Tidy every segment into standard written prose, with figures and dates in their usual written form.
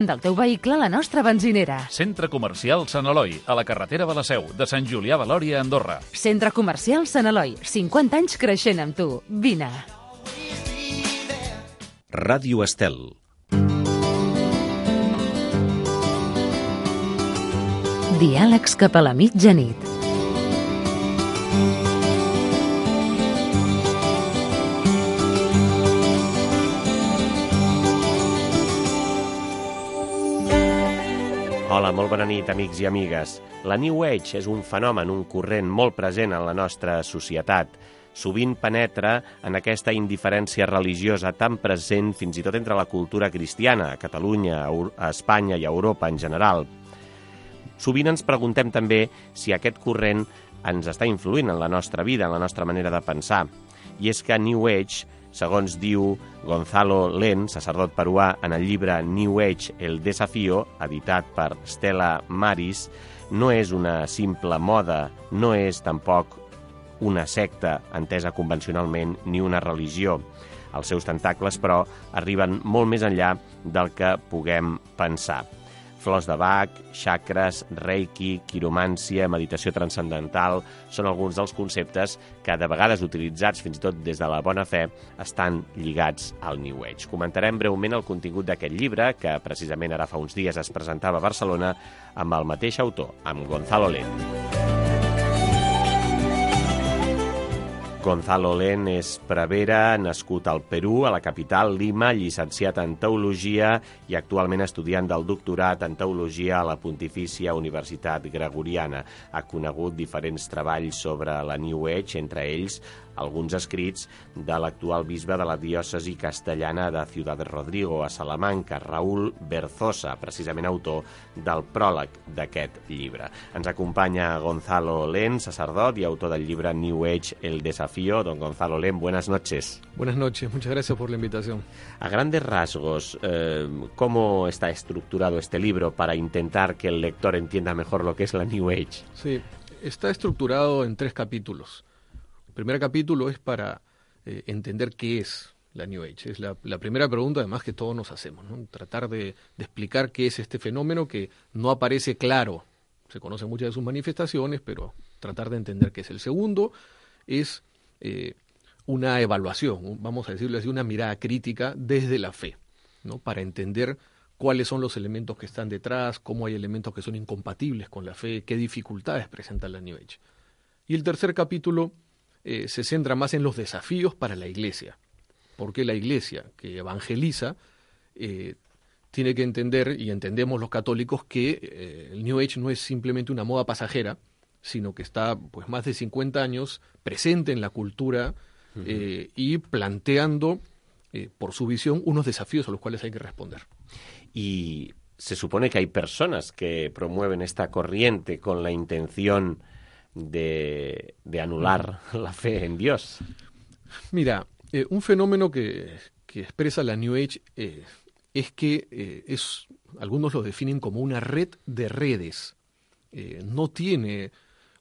del teu vehicle a la nostra benzinera. Centre Comercial Sant Eloi, a la carretera de la Seu, de Sant Julià de Lòria a Andorra. Centre Comercial Sant Eloi, 50 anys creixent amb tu. Vine. Ràdio Estel. Diàlegs cap a la mitjanit. Hola, molt bona nit, amics i amigues. La New Age és un fenomen, un corrent molt present en la nostra societat. Sovint penetra en aquesta indiferència religiosa tan present fins i tot entre la cultura cristiana, a Catalunya, a Espanya i a Europa en general. Sovint ens preguntem també si aquest corrent ens està influint en la nostra vida, en la nostra manera de pensar. I és que New Age, segons diu Gonzalo Len, sacerdot peruà, en el llibre New Age, el desafío, editat per Stella Maris, no és una simple moda, no és tampoc una secta entesa convencionalment ni una religió. Els seus tentacles, però, arriben molt més enllà del que puguem pensar. Flors de Bach, xacres, reiki, quiromància, meditació transcendental són alguns dels conceptes que, de vegades utilitzats fins i tot des de la bona fe, estan lligats al New Age. Comentarem breument el contingut d'aquest llibre, que precisament ara fa uns dies es presentava a Barcelona amb el mateix autor, amb Gonzalo Len. Gonzalo Len és prevere, nascut al Perú, a la capital, Lima, llicenciat en Teologia i actualment estudiant del doctorat en Teologia a la Pontifícia Universitat Gregoriana. Ha conegut diferents treballs sobre la New Age, entre ells alguns escrits de l'actual bisbe de la diòcesi castellana de Ciudad Rodrigo, a Salamanca, Raúl Berzosa, precisament autor del pròleg d'aquest llibre. Ens acompanya Gonzalo Len, sacerdot i autor del llibre New Age, el desafío. Don Gonzalo Len, buenas noches. Buenas noches, muchas gracias por la invitación. A grandes rasgos, ¿cómo está estructurado este libro para intentar que el lector entienda mejor lo que es la New Age? Sí, está estructurado en 3 capítulos. El primer capítulo es para entender qué es la New Age. Es la primera pregunta, además, que todos nos hacemos, ¿no? Tratar de explicar qué es este fenómeno que no aparece claro. Se conocen muchas de sus manifestaciones, pero tratar de entender qué es. El segundo es una evaluación, vamos a decirlo así, una mirada crítica desde la fe, ¿no? Para entender cuáles son los elementos que están detrás, cómo hay elementos que son incompatibles con la fe, qué dificultades presenta la New Age. Y el tercer capítulo se centra más en los desafíos para la Iglesia, porque la Iglesia que evangeliza tiene que entender, y entendemos los católicos, que el New Age no es simplemente una moda pasajera, sino que está pues más de 50 años presente en la cultura y planteando por su visión unos desafíos a los cuales hay que responder. Y se supone que hay personas que promueven esta corriente con la intención de anular la fe en Dios. Mira, un fenómeno que expresa la New Age es que algunos lo definen como una red de redes. No tiene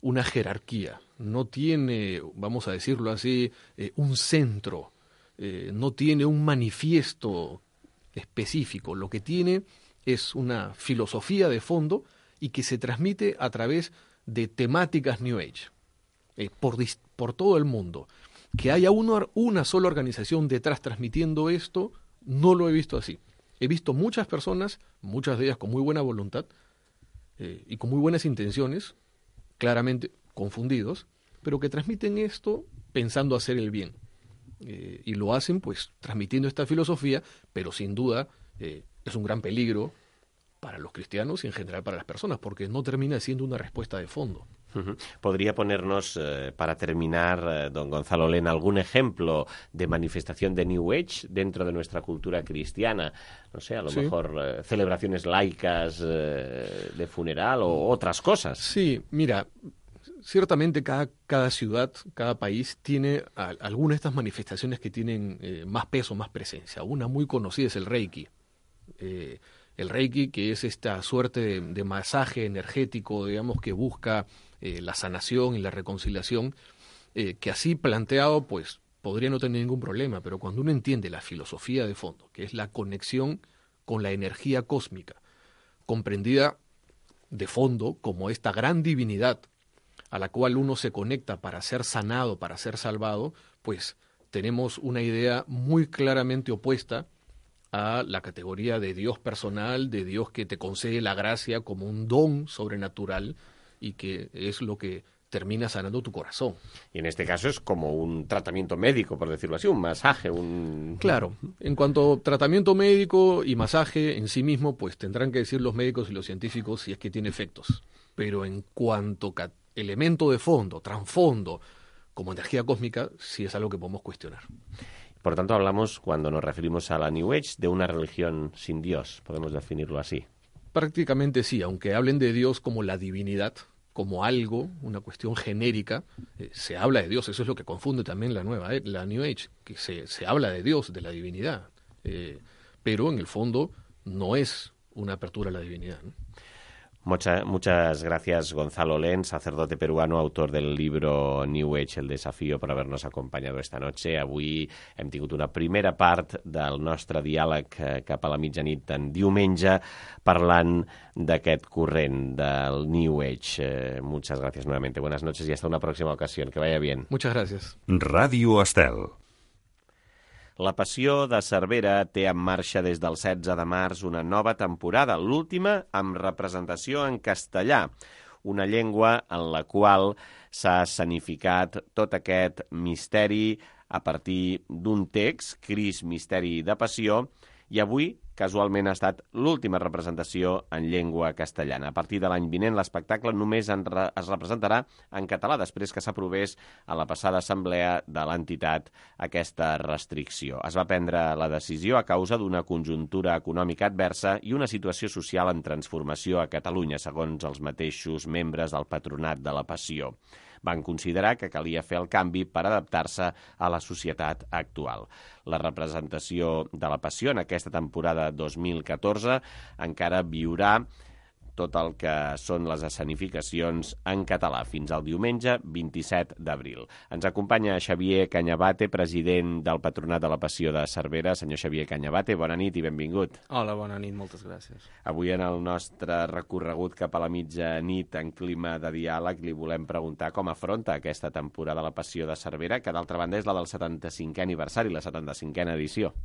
una jerarquía, no tiene, vamos a decirlo así, un centro, no tiene un manifiesto específico. Lo que tiene es una filosofía de fondo y que se transmite a través de temáticas New Age, por todo el mundo. Que haya una sola organización detrás transmitiendo esto, no lo he visto así. He visto muchas personas, muchas de ellas con muy buena voluntad y con muy buenas intenciones, claramente confundidos, pero que transmiten esto pensando hacer el bien. Y lo hacen pues transmitiendo esta filosofía, pero sin duda es un gran peligro para los cristianos y en general para las personas, porque no termina siendo una respuesta de fondo. ¿Podría ponernos, para terminar, don Gonzalo Len, algún ejemplo de manifestación de New Age dentro de nuestra cultura cristiana? No sé, a lo mejor celebraciones laicas de funeral o otras cosas. Sí, mira, ciertamente cada ciudad, cada país tiene algunas de estas manifestaciones que tienen más peso, más presencia. Una muy conocida es el Reiki. El Reiki, que es esta suerte de masaje energético, digamos, que busca la sanación y la reconciliación, que así planteado, pues, podría no tener ningún problema, pero cuando uno entiende la filosofía de fondo, que es la conexión con la energía cósmica, comprendida de fondo como esta gran divinidad a la cual uno se conecta para ser sanado, para ser salvado, pues tenemos una idea muy claramente opuesta a la categoría de Dios personal, de Dios que te concede la gracia como un don sobrenatural y que es lo que termina sanando tu corazón. Y en este caso es como un tratamiento médico, por decirlo así, un masaje, un... Claro, en cuanto a tratamiento médico y masaje en sí mismo, pues tendrán que decir los médicos y los científicos si es que tiene efectos. Pero en cuanto a elemento de fondo, trasfondo, como energía cósmica, sí es algo que podemos cuestionar. Por tanto, hablamos, cuando nos referimos a la New Age, de una religión sin Dios, podemos definirlo así. Prácticamente sí, aunque hablen de Dios como la divinidad, como algo, una cuestión genérica, se habla de Dios, eso es lo que confunde también la New Age, que se habla de Dios, de la divinidad, pero en el fondo no es una apertura a la divinidad, ¿no? Muchas gracias, Gonzalo Len, sacerdote peruano, autor del libro New Age, el desafío, por haver-nos acompanyat esta noche. Avui hem tingut una primera part del nostre diàleg cap a la mitjanit en diumenge, parlant d'aquest corrent del New Age. Muchas gracias nuevamente. Buenas noches y hasta una próxima ocasión. Que vaya bien. Muchas gracias. Ràdio Estel. La Passió de Cervera té en marxa des del 16 de març una nova temporada, l'última amb representació en castellà, una llengua en la qual s'ha escenificat tot aquest misteri a partir d'un text, Crist, misteri de passió, i avui, casualment, ha estat l'última representació en llengua castellana. A partir de l'any vinent, l'espectacle només es representarà en català, després que s'aprovés a la passada assemblea de l'entitat aquesta restricció. Es va prendre la decisió a causa d'una conjuntura econòmica adversa i una situació social en transformació a Catalunya, segons els mateixos membres del Patronat de la Passió. Van considerar que calia fer el canvi per adaptar-se a la societat actual. La representació de la Passió en aquesta temporada 2014 encara viurà tot el que són les escenificacions en català fins al diumenge 27 d'abril. Ens acompanya Xavier Cañabate, president del Patronat de la Passió de Cervera. Senyor Xavier Cañabate, bona nit i benvingut. Hola, bona nit, moltes gràcies. Avui en el nostre recorregut cap a la mitjanit en clima de diàleg li volem preguntar com afronta aquesta temporada la Passió de Cervera, que d'altra banda és la del 75è aniversari, la 75a edició.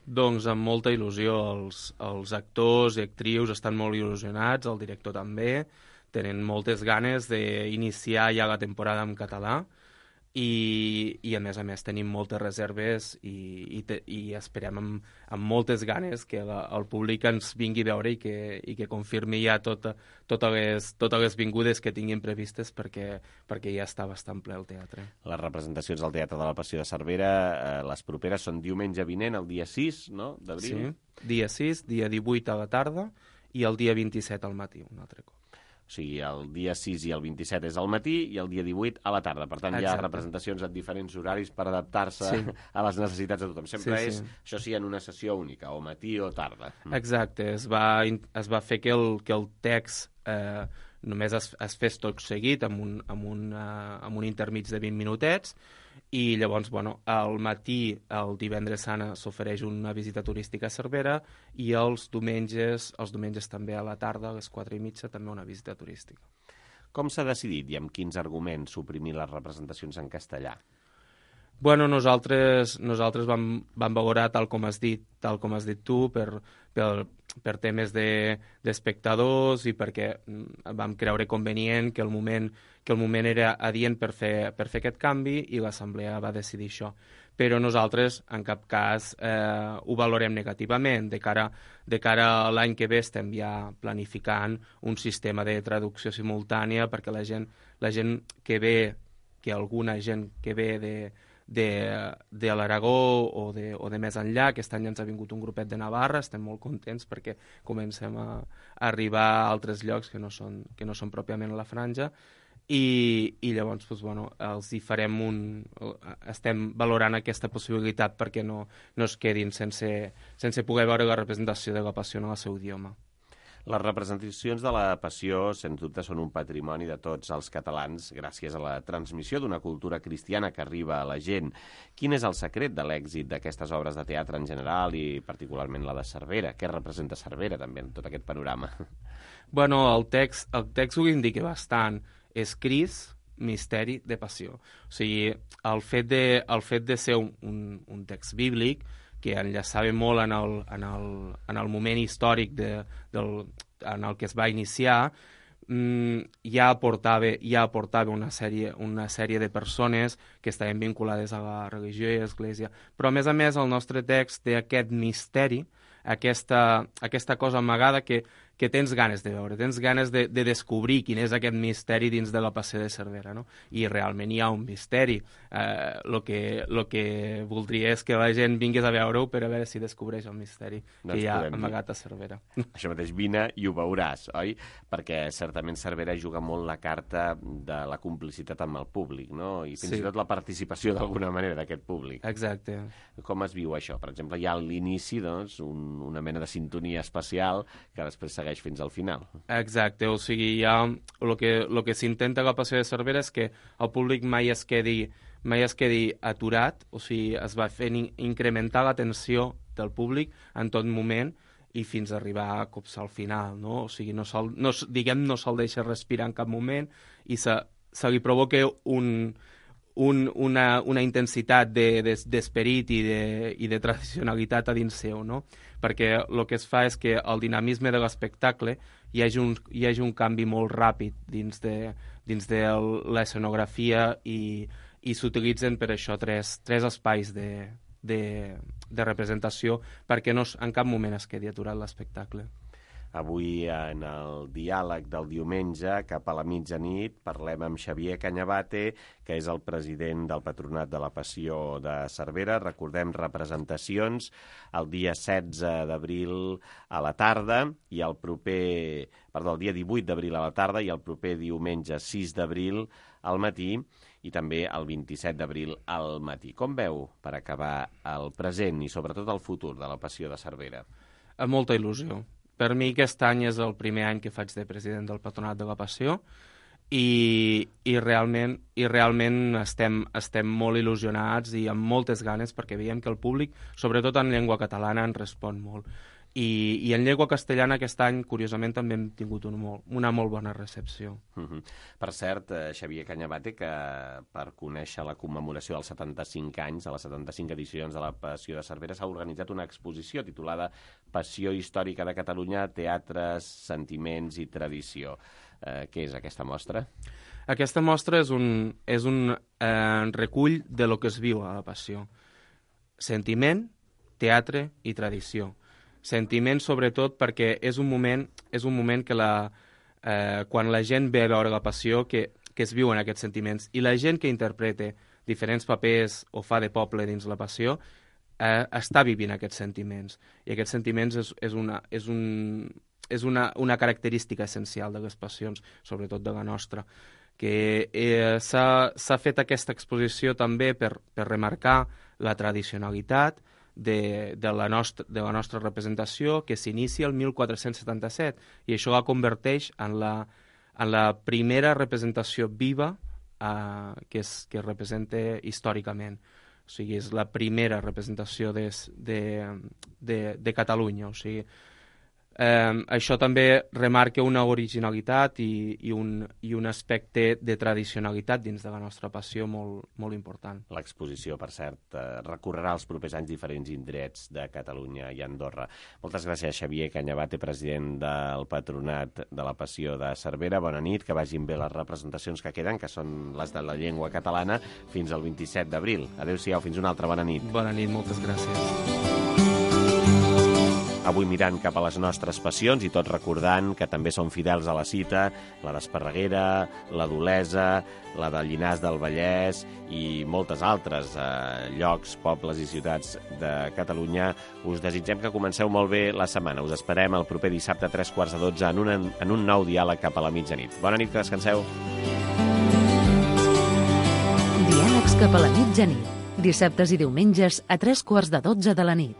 Doncs amb molta il·lusió, els actors i actrius estan molt il·lusionats, el director també, tenen moltes ganes d'iniciar ja la temporada en català i a més tenim moltes reserves i esperem amb moltes ganes que el públic ens vingui a veure i que confirmi ja totes les vingudes que tinguin previstes perquè ja està bastant ple el teatre. Les representacions al Teatre de la Passió de Cervera, les properes són diumenge vinent, el dia 6, no?, d'abril? Sí, dia 6, dia 18 a la tarda i el dia 27 al matí, un altre cop. O sigui, el dia 6 i el 27 és al matí i el dia 18 a la tarda. Per tant, Exacte. Hi ha representacions en diferents horaris per adaptar-se a les necessitats de tothom. Sempre és, això sí, en una sessió única, o matí o tarda. Exacte. Es va fer que el text només es fes tot seguit amb un intermig de 20 minutets i llavors, al matí, el divendres sant, s'ofereix una visita turística a Cervera i els diumenges també a la tarda, a les 4:30, també una visita turística. Com s'ha decidit i amb quins arguments suprimir les representacions en castellà? Bueno, nosaltres vam valorar, tal com has dit tu, per temes d'espectadors i perquè vam creure convenient que el moment era adient per fer aquest canvi i l'assemblea va decidir això. Però nosaltres, en cap cas, ho valorem negativament. De cara a l'any que ve estem ja planificant un sistema de traducció simultània perquè la gent que ve, que alguna gent que ve de l'Aragó o de més enllà. Aquest any ens ha vingut un grupet de Navarra, estem molt contents perquè comencem a arribar a altres llocs que no són pròpiament a la franja i llavors els hi farem estem valorant aquesta possibilitat perquè no es quedin sense poder veure la representació de la Passió en el seu idioma. Les representacions de la Passió, sens dubte, són un patrimoni de tots els catalans gràcies a la transmissió d'una cultura cristiana que arriba a la gent. Quin és el secret de l'èxit d'aquestes obres de teatre en general i particularment la de Cervera? Què representa Cervera també en tot aquest panorama? Bueno, el text ho indica bastant. És Crist, misteri de passió. O sigui, el fet de ser un text bíblic que enllaçava molt en el moment històric en el que es va iniciar, ja aportava una sèrie de persones que estaven vinculades a la religió i a l'església. Però, a més, el nostre text té aquest misteri, aquesta cosa amagada que tens ganes de veure, tens ganes de descobrir quin és aquest misteri dins de la Passió de Cervera, no? I realment hi ha un misteri. Lo que voldria és que la gent vingués a veure-ho per a veure si descobreix el misteri que hi ha amagat a Cervera. Això mateix, vine i ho veuràs, oi? Perquè certament Cervera juga molt la carta de la complicitat amb el públic, no? I fins i tot la participació d'alguna manera d'aquest públic. Exacte. Com es viu això? Per exemple, hi ha a l'inici doncs, una mena de sintonia especial que després segueix fins al final. Exacte, o sigui, ja el que s'intenta a la Passió de Cervera és que el públic mai es quedi aturat, o sigui, es va fent incrementar l'atenció del públic en tot moment i fins a arribar a copsar al final, no? O sigui, no se'l deixa respirar en cap moment i se li provoca una intensitat d'esperit i de tradicionalitat a dins seu, no? Perquè el que es fa és que el dinamisme de l'espectacle hi hagi un canvi molt ràpid dins de l'escenografia i s'utilitzen per això tres espais de representació perquè en cap moment es quedi aturat l'espectacle. Avui, en el diàleg del diumenge, cap a la mitjanit, parlem amb Xavier Cañabate, que és el president del Patronat de la Passió de Cervera. Recordem representacions el dia 16 d'abril a la tarda i el dia 18 d'abril a la tarda i el proper diumenge 6 d'abril al matí i també el 27 d'abril al matí. Com veu, per acabar, el present i sobretot el futur de la Passió de Cervera? Amb molta il·lusió. Per mi aquest any és el primer any que faig de president del Patronat de la Passió i realment estem molt il·lusionats i amb moltes ganes perquè veiem que el públic, sobretot en llengua catalana, en respon molt. I en llengua castellana aquest any, curiosament, també hem tingut una molt bona recepció. Per cert, Xavier Cañabate, que per conèixer la commemoració dels 75 anys, de les 75 edicions de la Passió de Cervera, s'ha organitzat una exposició titulada Passió històrica de Catalunya, teatres, sentiments i tradició. Què és aquesta mostra? Aquesta mostra és un recull de lo que es viu a la Passió. Sentiment, teatre i tradició. Sentiment, sobretot, perquè és un moment que quan la gent ve a veure la Passió que es viuen aquests sentiments i la gent que interpreta diferents papers o fa de poble dins la Passió està vivint aquests sentiments. I aquests sentiments és una característica essencial de les passions, sobretot de la nostra. Que s'ha fet aquesta exposició també per remarcar la tradicionalitat de la nostra representació, que s'inicia el 1477 i això la converteix en la primera representació viva que representa històricament. O sigui, és la primera representació de Catalunya. O sigui, això també remarca una originalitat i un aspecte de tradicionalitat dins de la nostra passió molt, molt important. L'exposició, per cert, recorrerà els propers anys diferents indrets de Catalunya i Andorra. Moltes gràcies, Xavier Cañabate, president del Patronat de la Passió de Cervera. Bona nit, que vagin bé les representacions que queden, que són les de la llengua catalana, fins al 27 d'abril. Adéu-siau, fins una altra bona nit. Bona nit, moltes gràcies. Avui mirant cap a les nostres passions i tot recordant que també són fidels a la cita, la d'Esparreguera, la d'Olesa, la de Llinars del Vallès i moltes altres llocs, pobles i ciutats de Catalunya. Us desitgem que comenceu molt bé la setmana. Us esperem el proper dissabte a 11:45 en un nou diàleg cap a la mitjanit. Bona nit, que descanseu. Diàlegs cap a la mitjanit. Dissabtes i diumenges a 11:45 de la nit.